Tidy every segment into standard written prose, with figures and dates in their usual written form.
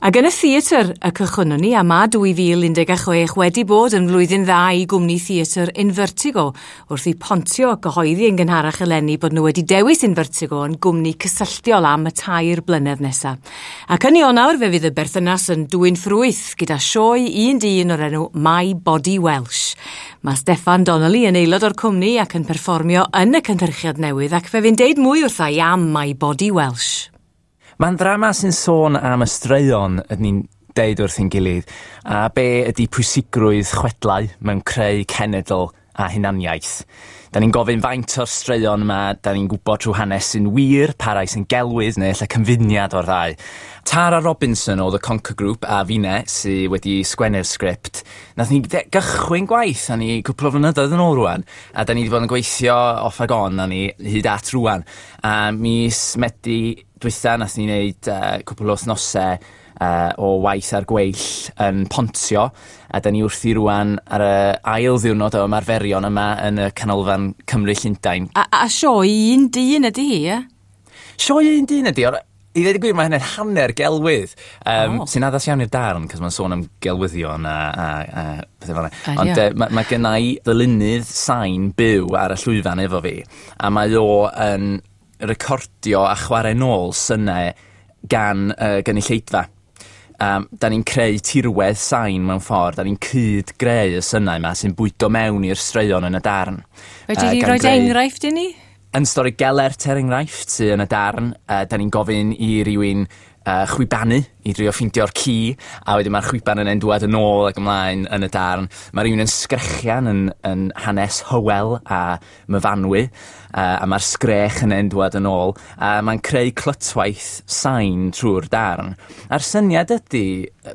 Ac yn y theatr y cychwynnon ni, a ma 2016 wedi bod yn flwyddyn dda i gwmni theatr Invertigo, wrth i Pontio gyhoeddi yn gynharach eleni bod nhw wedi dewis Invertigo yn gwmni cysylltiol am y 3 blynedd nesaf. Ac yn Ionawr fe fydd y berthynas yn dwyn ffrwyth gyda sioe un dyn o'r enw My Body Welsh. Mae Steffan Donnelly yn aelod o'r cwmni ac yn perfformio yn y cynhyrchiad newydd, ac fe fy'n deud mwy wrtha i am My Body Welsh. Mae'n ddrama sy'n sôn am y straeon ydyn ni'n deud wrth ein gilydd, a be ydy pwysigrwydd chwedlau mewn creu cenedl a hunaniaeth. Da ni'n gofyn faint o'r straeon yma, da ni'n gwybod trwy hanes sy'n wir, pa rai sy'n gelwydd neu ella cyfuniad o'r ddau. Tara Robinson o The Conker Group a finne sy wedi sgwennu'r sgript. Nath ni gychwyn gwaith a ni cwpl o flynyddoedd yn ôl rwan, a da ni wedi bod yn gweithio off ag on a ni hyd at rwan. A mis Medi dwytha nath ni wneud cwpl o wythnosau o waith ar gweill yn Pontio, a da ni wrthi rwan ar y ail ddiwrnod o ymarferion yma yn y Canolfan Cymru Llundain. A sioe un dyn ydy hi, ie? Sioe un dyn ydy, ond i ddweud y gwir mae hynny'n hanner gelwydd, sy'n addas iawn i'r darn, cos mae'n sôn am gelwyddion a pethau fel yna. Ond mae genna i ddylunydd sain byw ar y llwyfan efo fi, a mae o yn recordio a chwarae nôl synau gan gynulleidfa. Da ni'n creu tirwedd sain mewn ffordd, da ni'n cyd-greu y synau yma sy'n bwydo mewn i'r straeon yn y darn. Fedri di roi enghraifft i ni? Yn stori Gelert, er enghraifft, sydd yn y darn, da ni'n gofyn i rywun chwibanu i drio ffeindio'r ci, a wedyn mae'r chwiban yna'n dŵad yn ôl ac ymlaen yn y darn. Mae rhywun yn sgrechian yn hanes Hywel a Myfanwy, a mae'r sgrech yna'n dŵad yn ôl, a mae'n creu clytwaith sain trwy'r darn. A'r syniad ydy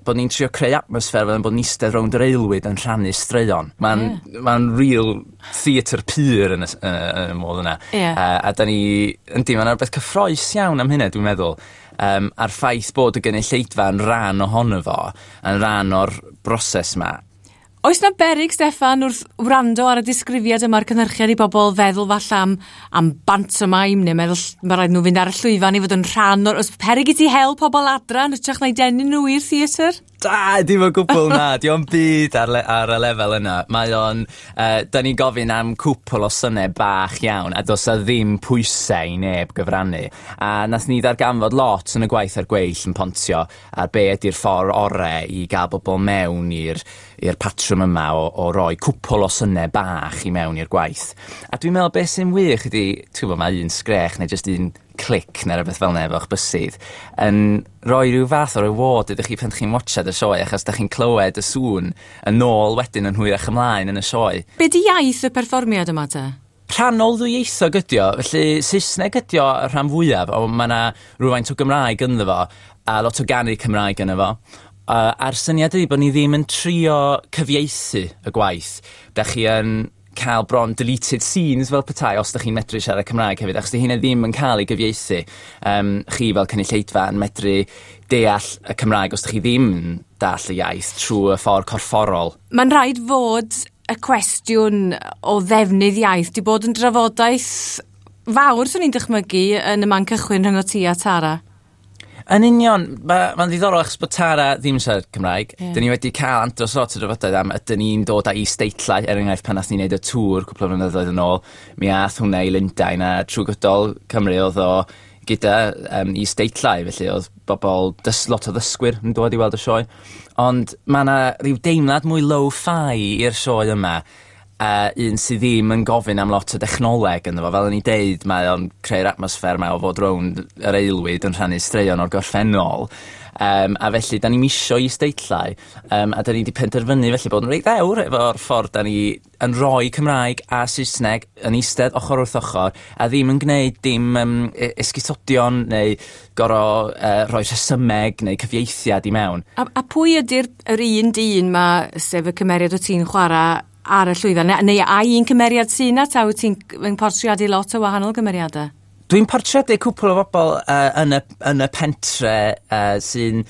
bod ni'n trio creu atmosffer fel bod ni'n eistedd rownd yr aelwyd yn rhannu straeon. Mae'n real theatr pur yn y modd yna. A da ni, yndi, mae'n rhywbeth cyffrous iawn am hynny, dwi'n meddwl. A'r ffaith bod y gynulleidfa yn rhan ohono fo, yn rhan o'r broses yma. Oes na beryg, Steffan, wrth wrando ar y disgrifiad yma'r cynhyrchiad i bobl feddwl falle am pantomime neu meddwl mae rhaid nhw fynd ar y llwyfan i fod yn rhan o'r... Oes peryg i ti hel pobl adra yn hytrach na'i denu nhw i'r theatr? Da, dim o gwbl na, di o'n byd ar y lefel yna. Mae o'n, da ni'n gofyn am cwpl o synau bach iawn, a does 'na ddim pwysau i neb gyfrannu. A nath ni ddarganfod lot yn y gwaith ar gweill yn Pontio ar be ydy'r ffordd ore i gael bobl mewn i'r patrwm yma o roi cwpl o synau bach i mewn i'r gwaith. A dwi'n meddwl beth sy'n wych ydy, ti'n gwybod, mae un sgrech neu jyst un clic neu rhywbeth fel 'na efo'ch bysydd yn rhoi rhyw fath o reward ydych chi pan chi'n watchad y sioe, achos da chi'n clywed y sŵn yn ôl wedyn yn hwyrach ymlaen yn y sioe. Be di iaith y perfformiad yma te? Rhannol ddwyieithog ydi o, felly Saesneg ydi o y rhan fwyaf, ond mae yna rhywfaint o Gymraeg ynddo fo, a lot o ganu Cymraeg ynddo fo. A'r syniad ydi bod ni ddim yn trio cyfieithu y gwaith. Da chi yn cael bron deleted scenes fel petai os da chi'n medru siarad Cymraeg hefyd, achos di hynna ddim yn cael ei gyfieithu. Chi fel cynulleidfa yn medru deall y Cymraeg os da chi ddim yn deall y iaith trwy y ffordd corfforol. Mae'n rhaid fod y cwestiwn o ddefnydd iaith di bod yn drafodaeth fawr, swn i'n dychmygu, yn y man cychwyn rhwng ti a Tara. Yn union, mae'n ddiddorol achos bod Tara ddim yn siarad Cymraeg. Dyn ni wedi cael andros lot o drafodaeth am ydyn ni'n dod â is-deitlau, er enghraifft pan nath ni wneud y tŵr cwpl o flynyddoedd yn ôl, mi ath hwnna i Lundain a trwy gydol Cymru oedd o gyda is-deitlau, felly oedd bobl, lot o ddysgwyr yn dod i weld y sioe. Ond mae yna rhyw deimlad mwy low-fi i'r sioe yma, un sydd ddim yn gofyn am lot o dechnoleg ynddo fo. Fel o'n i'n deud, mae o'n creu'r atmosffer yma o fod rownd yr aelwyd yn rhannu straeon o'r gorffennol. A felly, da ni'n misio is-deitlau, a da ni wedi penderfynu felly bod yn reit ddewr efo'r ffordd da ni yn rhoi Cymraeg a Saesneg yn eistedd ochr wrth ochr, a ddim yn gwneud dim esgusodion neu gor'o' rhoi rhesymeg neu cyfieithiad i mewn. A pwy ydy'r yr un dyn ma, sef y cymeriad o ti'n chwarae ar y llwyfan? Neu ai un cymeriad sy'n na, ta wyt ti'n yn portreadu lot o wahanol gymeriadau? Dwi'n portreadu cwpl o bobl yn y pentre sy'n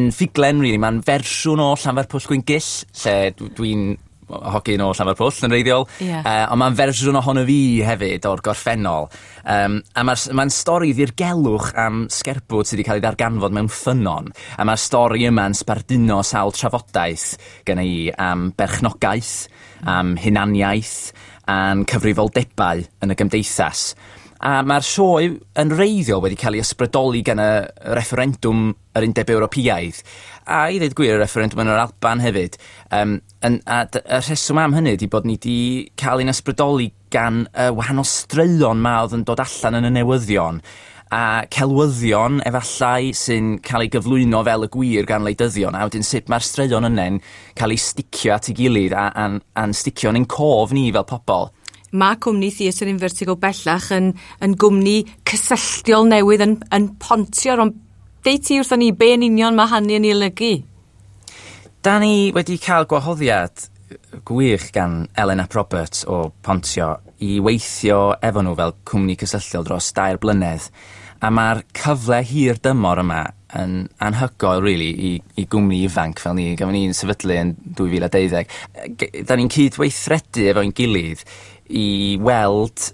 ffuglen, really. Mae'n fersiwn o Llanfairpwllgwyngyll, lle dwi'n hogyn o Llanfairpwll yn wreiddiol. Ie. Ond ma'n fersiwn ohono fi hefyd o'r gorffennol. A ma'n stori ddirgelwch am sgerbwd sy 'di ca'l 'i ddarganfod mewn ffynnon. A ma'r stori yma'n sbarduno sawl trafodaeth genna i am berchnogaeth, am hunaniaeth, a'n cyfrifoldebau yn y gymdeithas. A ma'r sioe yn wreiddiol wedi cael ei ysbrydoli gan y refferendwm yr Undeb Ewropeaidd a i ddeud gwir y refferendwm yn yr Alban hefyd. A y rheswm am hynny ydi bod ni 'di cael ein ysbrydoli gan y wahanol straeon 'ma o'dd yn dod allan yn y newyddion a celwyddion efallai sy'n cael ei gyflwyno fel y gwir gan wleidyddion, a wedyn sut ma'r straeon yne'n cael eu sticio at ei gilydd a'n sticio yn ein cof ni fel pobol. Mae cwmni Theatr Invertigo bellach yn gwmni cysylltiol newydd yn pontio rhwng. Deud ti wrthon ni be yn union mae hynny yn ei olygu? Da ni wedi cael gwahoddiad gwych gan Ellen Ap Roberts o Pontio i weithio efo nhw fel cwmni cysylltiol dros 3 blynedd. A mae'r cyfle hir dymor yma yn anhygoel really i gwmni ifanc fel ni. Gafon ni'n sefydlu yn 2012. Da ni'n cydweithredu efo'n gilydd i weld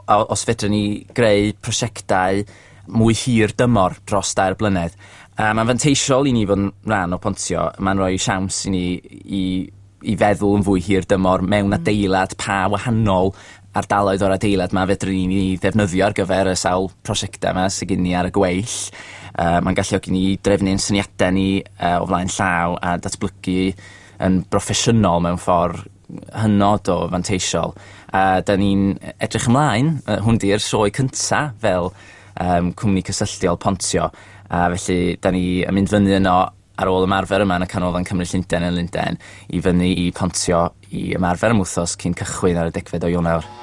os fedrwn ni greu prosiectau mwy hir dymor dros 3 blynedd. A mae'n fanteisiol i ni fod yn rhan o Pontio. Mae'n rhoi siawns i ni i feddwl yn fwy hir dymor mewn adeilad, pa wahanol ardaloedd o'r adeilad 'ma fedrwn ni ddefnyddio ar gyfer y sawl prosiectau 'ma sydd gen ni ar y gweill. Mae'n galluogi ni drefnu'n syniadau ni o flaen llaw a datblygu yn broffesiynol mewn ffordd hynod o fanteisiol. A da ni'n edrych ymlaen, hwn 'di'r sioe cynta fel cwmni cysylltiol Pontio, a felly da ni yn mynd fyny yno ar ôl ymarfer yma yn y Canolfan Cymru Llundain yn Lundain i fyny i Pontio i ymarfer am wthnos cyn cychwyn ar y 10 o Ionawr.